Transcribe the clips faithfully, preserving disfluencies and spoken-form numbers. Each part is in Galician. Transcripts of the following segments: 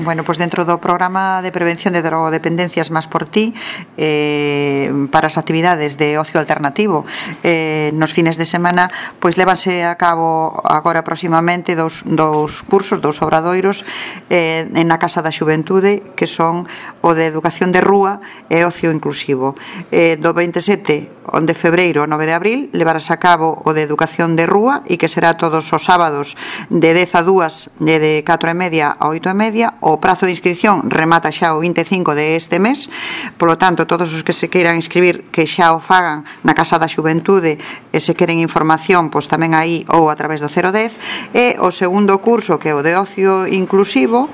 Bueno, pois dentro do programa de prevención de drogodependencias Más por Ti, eh, para as actividades de ocio alternativo eh, nos fines de semana, pois lévanse a cabo agora próximamente dous, dous cursos, dous obradoiros eh, na Casa da Xuventude, que son o de educación de rúa e ocio inclusivo. Eh, do veintisiete de febreiro ao nove de abril levarás a cabo o de educación de rúa, e que será todos os sábados de dez a dúas, de, de catro e media a oito e media. O prazo de inscripción remata xa o vinte e cinco de este mes, polo tanto, todos os que se queiran inscribir, que xa o fagan na Casa da Xuventude, e se queren información, pois tamén aí ou a través do cero dez. E o segundo curso, que é o de ocio inclusivo,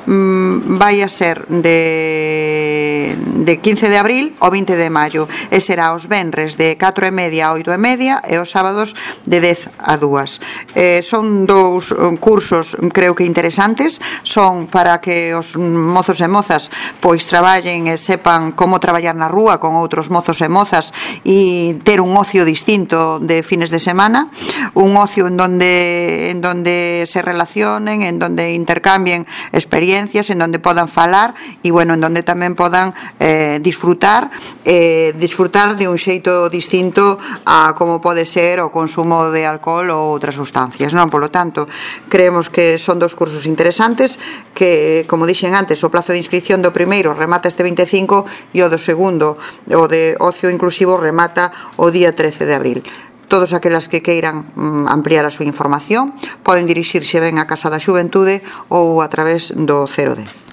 mmm, vai a ser de, de quince de abril ao vinte de maio, e será os venres de catro e media a oito e media e os sábados de dez a dúas. Eh, son dous cursos, creo que interesantes, son para que os mozos e mozas pois traballen e sepan como traballar na rúa con outros mozos e mozas e ter un ocio distinto de fines de semana, un ocio en donde, en donde se relacionen, en donde intercambien experiencias, en donde podan falar e, bueno, en donde tamén podan eh, disfrutar, eh, disfrutar de un xeito distinto a como pode ser o consumo de alcohol ou outras sustancias, non? Polo tanto, creemos que son dos cursos interesantes que, como dixen antes, o plazo de inscripción do primeiro remata este vinte e cinco e o do segundo, o de ocio inclusivo, remata o día trece de abril. Todos aquelas que queiran mm, ampliar a súa información poden dirixirse ben á Casa da Xuventude ou a través do cero dez.